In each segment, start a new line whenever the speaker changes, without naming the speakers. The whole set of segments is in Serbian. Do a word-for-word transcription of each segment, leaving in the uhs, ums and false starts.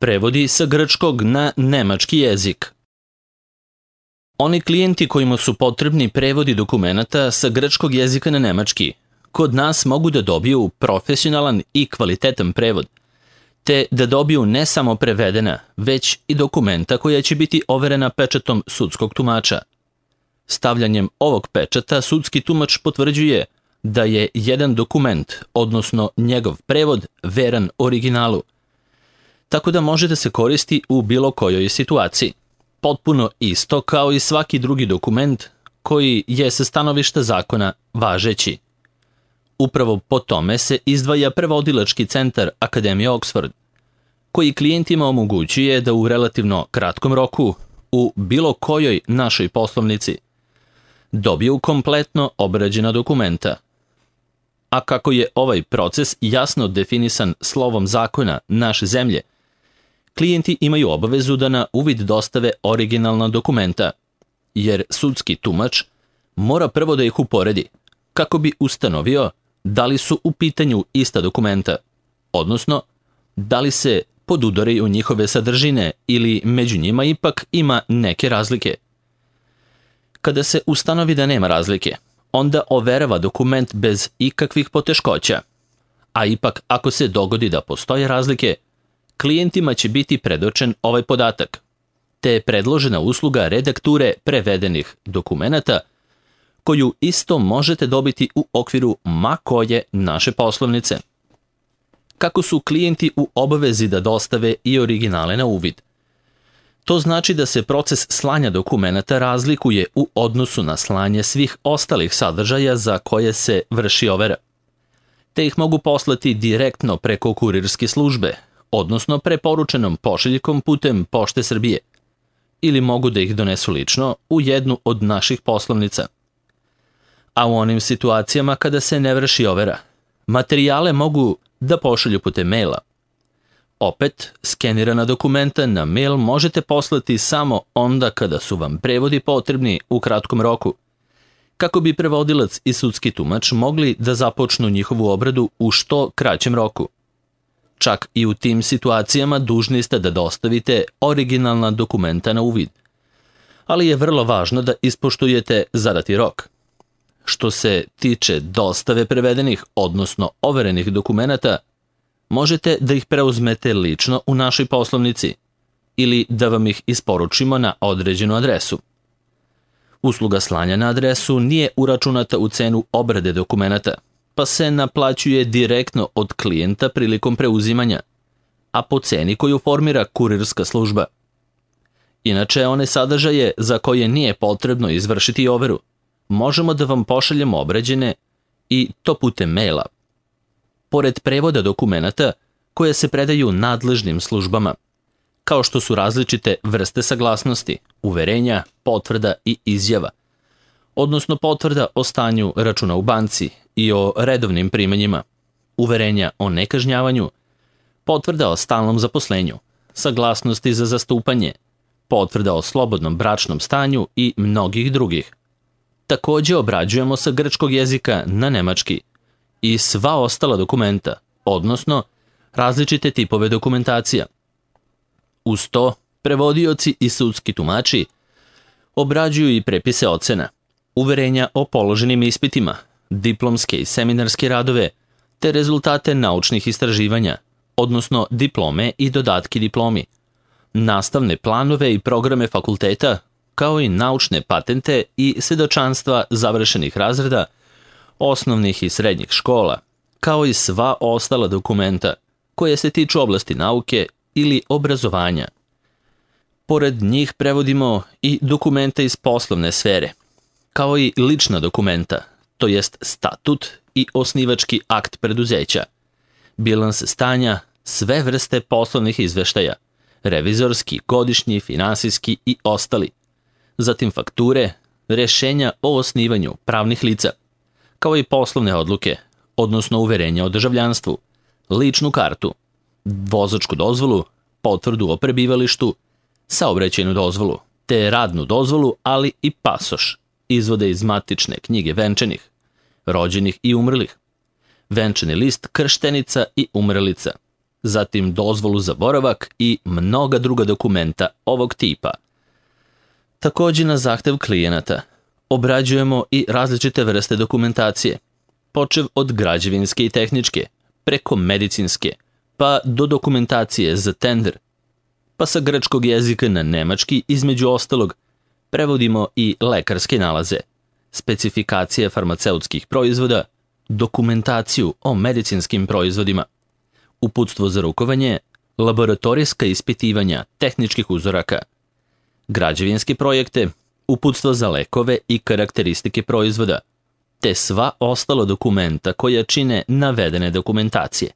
Prevodi sa grčkog na nemački jezik. Oni klijenti kojima su potrebni prevodi dokumenata sa grčkog jezika na nemački, kod nas mogu da dobiju profesionalan i kvalitetan prevod, te da dobiju ne samo prevedena, već i dokumenta koja će biti overena pečatom sudskog tumača. Stavljanjem ovog pečata sudski tumač potvrđuje da je jedan dokument, odnosno njegov prevod, veran originalu, tako da može da se koristi u bilo kojoj situaciji. Potpuno isto kao i svaki drugi dokument koji je sa stanovišta zakona važeći. Upravo po tome se izdvaja prevodilački centar Akademije Oxford, koji klijentima omogućuje da u relativno kratkom roku, u bilo kojoj našoj poslovnici, dobiju kompletno obrađena dokumenta. A kako je ovaj proces jasno definisan slovom zakona naše zemlje, klijenti imaju obavezu da na uvid dostave originalna dokumenta, jer sudski tumač mora prvo da ih uporedi, kako bi ustanovio da li su u pitanju ista dokumenta, odnosno da li se podudaraju njihove sadržine ili među njima ipak ima neke razlike. Kada se ustanovi da nema razlike, onda overava dokument bez ikakvih poteškoća, a ipak ako se dogodi da postoje razlike, klijentima će biti predočen ovaj podatak, te je predložena usluga redakture prevedenih dokumenata, koju isto možete dobiti u okviru ma koje naše poslovnice. Kako su klijenti u obavezi da dostave i originale na uvid? To znači da se proces slanja dokumenata razlikuje u odnosu na slanje svih ostalih sadržaja za koje se vrši overa, te ih mogu poslati direktno preko kurirske službe, odnosno preporučenom pošiljkom putem Pošte Srbije, ili mogu da ih donesu lično u jednu od naših poslovnica. A u onim situacijama kada se ne vrši overa, materijale mogu da pošalju putem maila. Opet, skenirana dokumenta na mail možete poslati samo onda kada su vam prevodi potrebni u kratkom roku, kako bi prevodilac i sudski tumač mogli da započnu njihovu obradu u što kraćem roku. Čak i u tim situacijama dužni ste da dostavite originalna dokumenta na uvid, ali je vrlo važno da ispoštujete zadati rok. Što se tiče dostave prevedenih, odnosno overenih dokumenata, možete da ih preuzmete lično u našoj poslovnici ili da vam ih isporučimo na određenu adresu. Usluga slanja na adresu nije uračunata u cenu obrade dokumenata, pa se naplaćuje direktno od klijenta prilikom preuzimanja, a po ceni koju formira kurirska služba. Inače, one sadržaje za koje nije potrebno izvršiti overu, možemo da vam pošaljemo obrađene i to putem maila. Pored prevoda dokumenata koje se predaju nadležnim službama, kao što su različite vrste saglasnosti, uverenja, potvrda i izjava, odnosno potvrda o stanju računa u banci i o redovnim primanjima, uverenja o nekažnjavanju, potvrda o stalnom zaposlenju, saglasnosti za zastupanje, potvrda o slobodnom bračnom stanju i mnogih drugih. Takođe obrađujemo sa grčkog jezika na nemački i sva ostala dokumenta, odnosno različite tipove dokumentacija. Uz to, prevodioci i sudski tumači obrađuju i prepise ocena, uverenja o položenim ispitima, diplomske i seminarske radove, te rezultate naučnih istraživanja, odnosno diplome i dodatki diplomi, nastavne planove i programe fakulteta, kao i naučne patente i svedočanstva završenih razreda, osnovnih i srednjih škola, kao i sva ostala dokumenta koje se tiču oblasti nauke ili obrazovanja. Pored njih prevodimo i dokumenta iz poslovne sfere, kao i lična dokumenta, to jest statut i osnivački akt preduzeća, bilans stanja, sve vrste poslovnih izveštaja, revizorski, godišnji, finansijski i ostali, zatim fakture, rešenja o osnivanju pravnih lica, kao i poslovne odluke, odnosno uverenja o državljanstvu, ličnu kartu, vozačku dozvolu, potvrdu o prebivalištu, saobraćajnu dozvolu, te radnu dozvolu, ali i pasoš, izvode iz matične knjige venčanih, rođenih i umrlih, venčani list krštenica i umrlica, zatim dozvolu za boravak i mnoga druga dokumenta ovog tipa. Takođe na zahtev klijenata obrađujemo i različite vrste dokumentacije, počev od građevinske i tehničke, preko medicinske, pa do dokumentacije za tender, pa sa grčkog jezika na nemački između ostalog prevodimo i lekarske nalaze, specifikacije farmaceutskih proizvoda, dokumentaciju o medicinskim proizvodima, uputstvo za rukovanje, laboratorijska ispitivanja tehničkih uzoraka, građevinske projekte, uputstvo za lekove i karakteristike proizvoda, te sva ostala dokumenta koja čine navedene dokumentacije.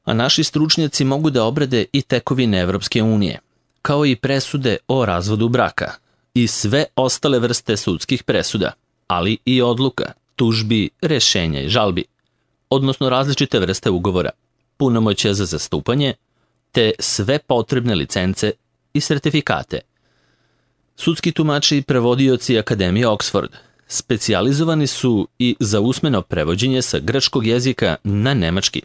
A naši stručnjaci mogu da obrade i tekovine Evropske unije, kao i presude o razvodu braka i sve ostale vrste sudskih presuda, ali i odluka, tužbi, rešenja i žalbi, odnosno različite vrste ugovora, punomoćja za zastupanje, te sve potrebne licence i sertifikate. Sudski tumači i prevodioci Akademije Oxford specijalizovani su i za usmeno prevođenje sa grčkog jezika na nemački,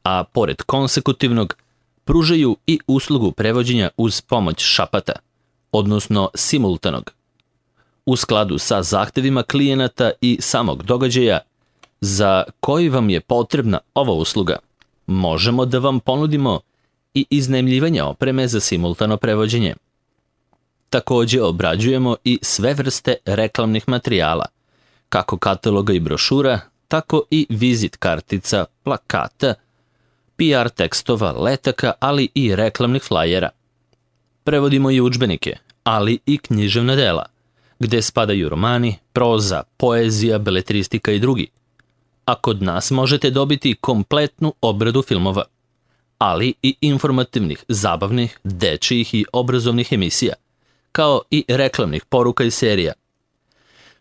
a pored konsekutivnog pružaju i uslugu prevođenja uz pomoć šapata, odnosno simultanog. U skladu sa zahtevima klijenata i samog događaja za koji vam je potrebna ova usluga, možemo da vam ponudimo i iznajmljivanje opreme za simultano prevođenje. Takođe obrađujemo i sve vrste reklamnih materijala, kako kataloga i brošura, tako i vizit kartica, plakata, P R tekstova, letaka, ali i reklamnih flajera. Prevodimo i udžbenike, ali i književna dela, gde spadaju romani, proza, poezija, beletristika i drugi. A kod nas možete dobiti kompletnu obradu filmova, ali i informativnih, zabavnih, dečijih i obrazovnih emisija, kao i reklamnih poruka i serija,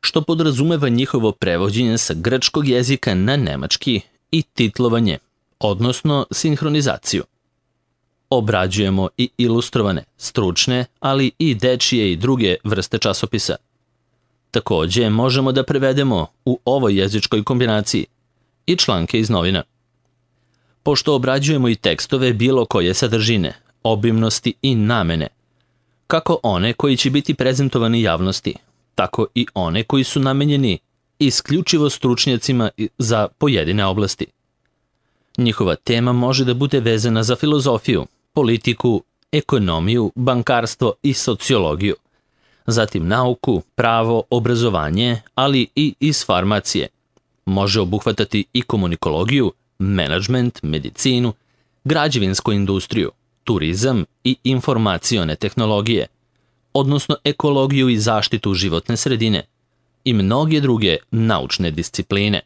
što podrazumeva njihovo prevođenje sa grčkog jezika na nemački i titlovanje, odnosno sinhronizaciju. Obrađujemo i ilustrovane, stručne, ali i dečije i druge vrste časopisa. Takođe, možemo da prevedemo u ovoj jezičkoj kombinaciji i članke iz novina. Pošto obrađujemo i tekstove bilo koje sadržine, obimnosti i namene, kako one koji će biti prezentovani javnosti, tako i one koji su namenjeni isključivo stručnjacima za pojedine oblasti. Njihova tema može da bude vezana za filozofiju, politiku, ekonomiju, bankarstvo i sociologiju, zatim nauku, pravo, obrazovanje, ali i iz farmacije. Može obuhvatati i komunikologiju, menadžment, medicinu, građevinsku industriju, turizam i informacione tehnologije, odnosno ekologiju i zaštitu životne sredine i mnoge druge naučne discipline.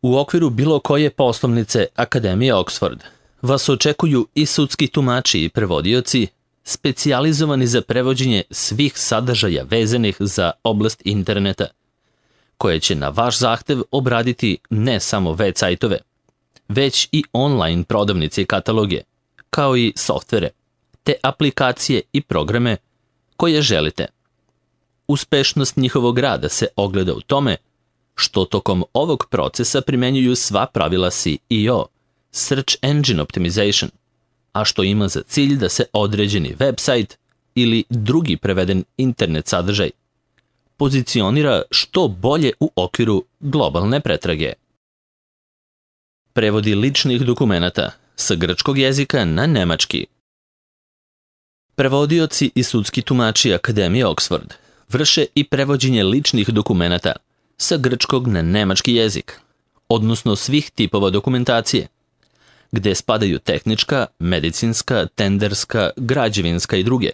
U okviru bilo koje poslovnice Akademije Oxford vas očekuju i sudski tumači i prevodioci specijalizovani za prevođenje svih sadržaja vezanih za oblast interneta, koje će na vaš zahtev obraditi ne samo web sajtove, već i online prodavnice i kataloge, kao i softvere, te aplikacije i programe koje želite. Uspešnost njihovog rada se ogleda u tome što tokom ovog procesa primenjuju sva pravila S E O, Search Engine Optimization, a što ima za cilj da se određeni website ili drugi preveden internet sadržaj pozicionira što bolje u okviru globalne pretrage. Prevodi ličnih dokumenata sa grčkog jezika na nemački. Prevodioci i sudski tumači Akademije Oxford vrše i prevođenje ličnih dokumenata sa grčkog na nemački jezik, odnosno svih tipova dokumentacije, gde spadaju tehnička, medicinska, tenderska, građevinska i druge,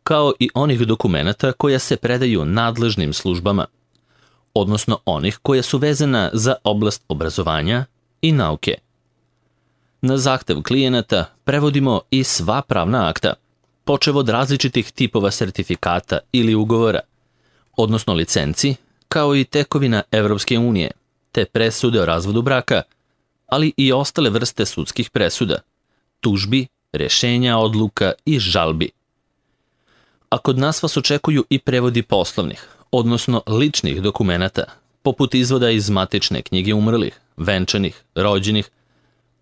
kao i onih dokumenata koja se predaju nadležnim službama, odnosno onih koja su vezana za oblast obrazovanja i nauke. Na zahtev klijenata prevodimo i sva pravna akta, počev od različitih tipova sertifikata ili ugovora, odnosno licenci, kao i tekovina Evropske unije, te presude o razvodu braka, ali i ostale vrste sudskih presuda, tužbi, rešenja, odluka i žalbi. A kod nas vas očekuju i prevodi poslovnih, odnosno ličnih dokumenata, poput izvoda iz matične knjige umrlih, venčanih, rođenih,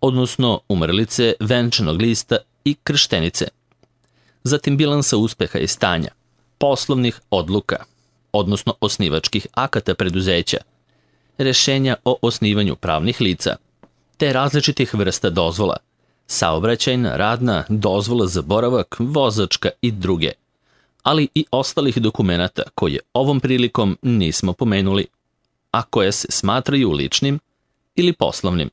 odnosno umrlice, venčanog lista i krštenice. Zatim bilansa uspeha i stanja, poslovnih odluka, odnosno osnivačkih akata preduzeća, rešenja o osnivanju pravnih lica, te različitih vrsta dozvola, saobraćajna, radna, dozvola za boravak, vozačka i druge, ali i ostalih dokumenata koje ovom prilikom nismo pomenuli, a koje se smatraju ličnim ili poslovnim.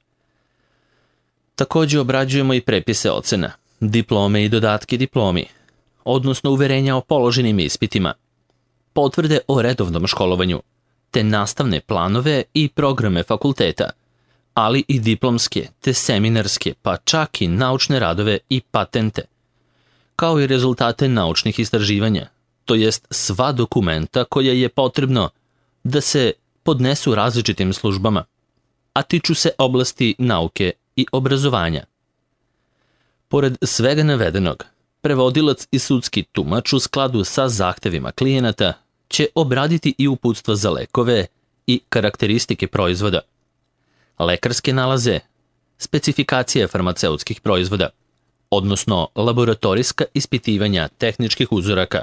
Takođe obrađujemo i prepise ocena, diplome i dodatke diplomi, odnosno uverenja o položenim ispitima, potvrde o redovnom školovanju, te nastavne planove i programe fakulteta, ali i diplomske, te seminarske, pa čak i naučne radove i patente, kao i rezultate naučnih istraživanja, to jest sva dokumenta koja je potrebno da se podnesu različitim službama, a tiču se oblasti nauke i obrazovanja. Pored svega navedenog, prevodilac i sudski tumač u skladu sa zahtevima klijenata će obraditi i uputstva za lekove i karakteristike proizvoda, lekarske nalaze, specifikacije farmaceutskih proizvoda, odnosno laboratorijska ispitivanja tehničkih uzoraka,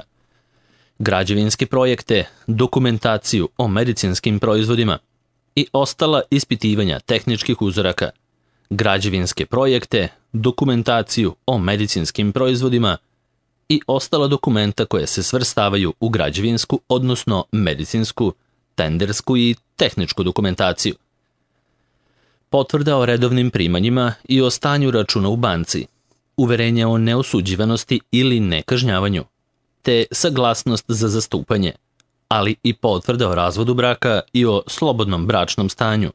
građevinske projekte, dokumentaciju o medicinskim proizvodima i ostala ispitivanja tehničkih uzoraka, građevinske projekte, dokumentaciju o medicinskim proizvodima i ostala dokumenta koje se svrstavaju u građevinsku, odnosno medicinsku, tendersku i tehničku dokumentaciju. Potvrda o redovnim primanjima i o stanju računa u banci, uverenje o neosuđivanosti ili nekažnjavanju, te saglasnost za zastupanje, ali i potvrda o razvodu braka i o slobodnom bračnom stanju.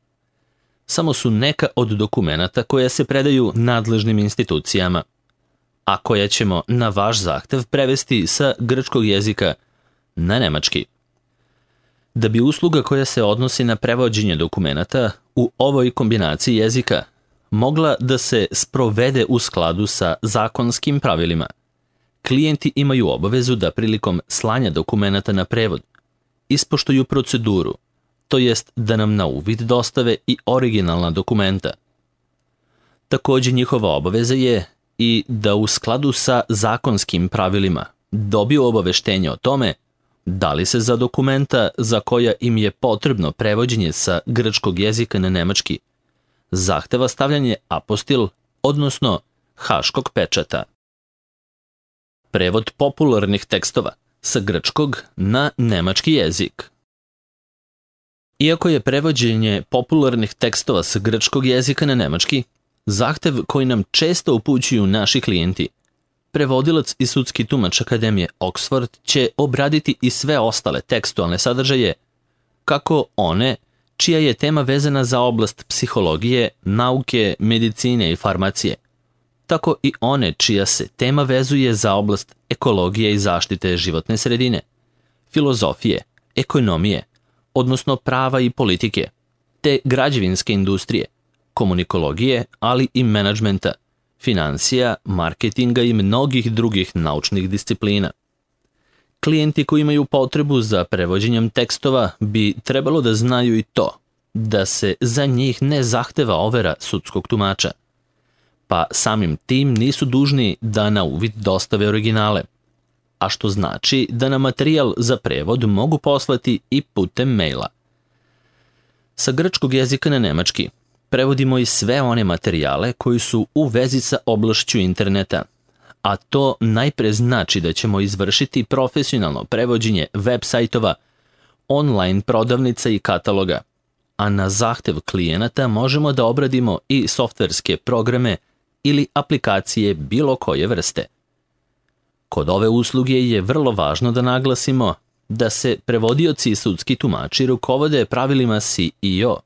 Samo su neka od dokumenata koja se predaju nadležnim institucijama, a koja ćemo na vaš zahtev prevesti sa grčkog jezika na nemački. Da bi usluga koja se odnosi na prevođenje dokumenata u ovoj kombinaciji jezika mogla da se sprovede u skladu sa zakonskim pravilima, klijenti imaju obavezu da prilikom slanja dokumenata na prevod ispoštuju proceduru, to jest da nam na uvid dostave i originalna dokumenta. Takođe njihova obaveza je i da u skladu sa zakonskim pravilima dobiju obaveštenje o tome da li se za dokumenta za koja im je potrebno prevođenje sa grčkog jezika na nemački zahteva stavljanje apostil, odnosno haškog pečata. Prevod popularnih tekstova sa grčkog na nemački jezik. Iako je prevođenje popularnih tekstova sa grčkog jezika na nemački zahtev koji nam često upućuju naši klijenti, prevodilac i sudski tumač Akademije Oxford će obraditi i sve ostale tekstualne sadržaje, kako one čija je tema vezana za oblast psihologije, nauke, medicine i farmacije, tako i one čija se tema vezuje za oblast ekologije i zaštite životne sredine, filozofije, ekonomije, odnosno prava i politike, te građevinske industrije, komunikologije, ali i menadžmenta, finansija, marketinga i mnogih drugih naučnih disciplina. Klijenti koji imaju potrebu za prevođenjem tekstova bi trebalo da znaju i to, da se za njih ne zahteva overa sudskog tumača, pa samim tim nisu dužni da na uvid dostave originale, a što znači da na materijal za prevod mogu poslati i putem maila. Sa grčkog jezika na nemački prevodimo i sve one materijale koji su u vezi sa oblašću interneta, a to najpre znači da ćemo izvršiti profesionalno prevođenje web sajtova, online prodavnica i kataloga, a na zahtev klijenata možemo da obradimo i softverske programe ili aplikacije bilo koje vrste. Kod ove usluge je vrlo važno da naglasimo da se prevodioci i sudski tumači rukovode pravilima S E O,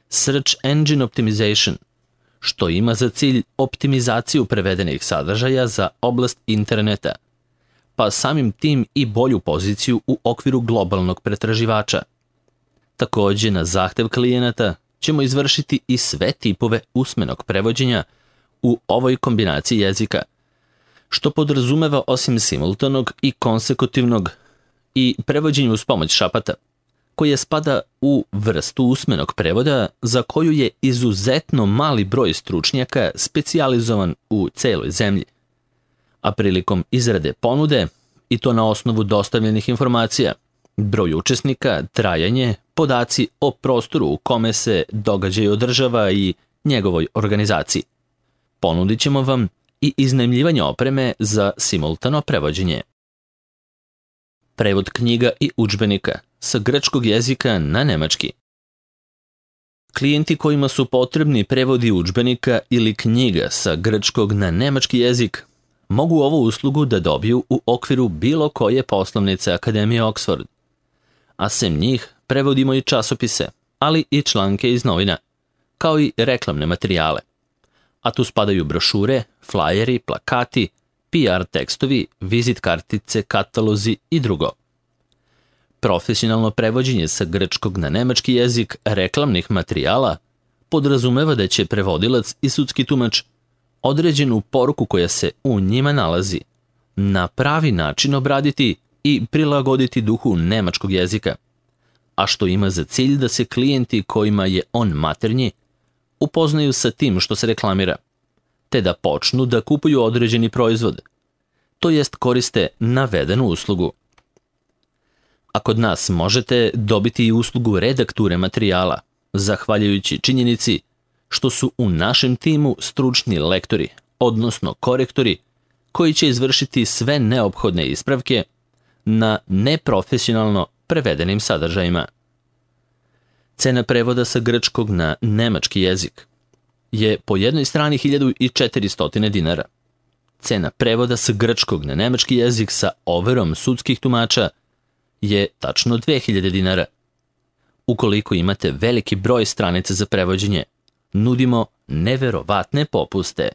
Search Engine Optimization, što ima za cilj optimizaciju prevedenih sadržaja za oblast interneta, pa samim tim i bolju poziciju u okviru globalnog pretraživača. Takođe, na zahtev klijenata ćemo izvršiti i sve tipove usmenog prevođenja u ovoj kombinaciji jezika, što podrazumeva osim simultanog i konsekutivnog i prevođenju uz pomoć šapata, koja spada u vrstu usmenog prevoda za koju je izuzetno mali broj stručnjaka specijalizovan u celoj zemlji. A prilikom izrade ponude, i to na osnovu dostavljenih informacija, broj učesnika, trajanje, podaci o prostoru u kome se događaj održava i njegovoj organizaciji. Ponudit ćemo vam i iznajmljivanje opreme za simultano prevođenje. Prevod knjiga i udžbenika sa grčkog jezika na nemački. Klijenti kojima su potrebni prevodi udžbenika ili knjiga sa grčkog na nemački jezik mogu ovu uslugu da dobiju u okviru bilo koje poslovnice Akademije Oxford. A sem njih prevodimo i časopise, ali i članke iz novina, kao i reklamne materijale. A tu spadaju brošure, flajeri, plakati, P R tekstovi, vizit kartice, katalozi i drugo. Profesionalno prevođenje sa grčkog na nemački jezik reklamnih materijala podrazumeva da će prevodilac i sudski tumač određenu poruku koja se u njima nalazi na pravi način obraditi i prilagoditi duhu nemačkog jezika, a što ima za cilj da se klijenti kojima je on maternji upoznaju sa tim što se reklamira, te da počnu da kupuju određeni proizvod, to jest koriste navedenu uslugu. A kod nas možete dobiti i uslugu redakture materijala, zahvaljujući činjenici što su u našem timu stručni lektori, odnosno korektori, koji će izvršiti sve neophodne ispravke na neprofesionalno prevedenim sadržajima. Cena prevoda sa grčkog na nemački jezik je po jednoj strani hiljadu četiristo dinara. Cena prevoda sa grčkog na nemački jezik sa overom sudskih tumača je tačno dve hiljade dinara. Ukoliko imate veliki broj stranica za prevođenje, nudimo neverovatne popuste.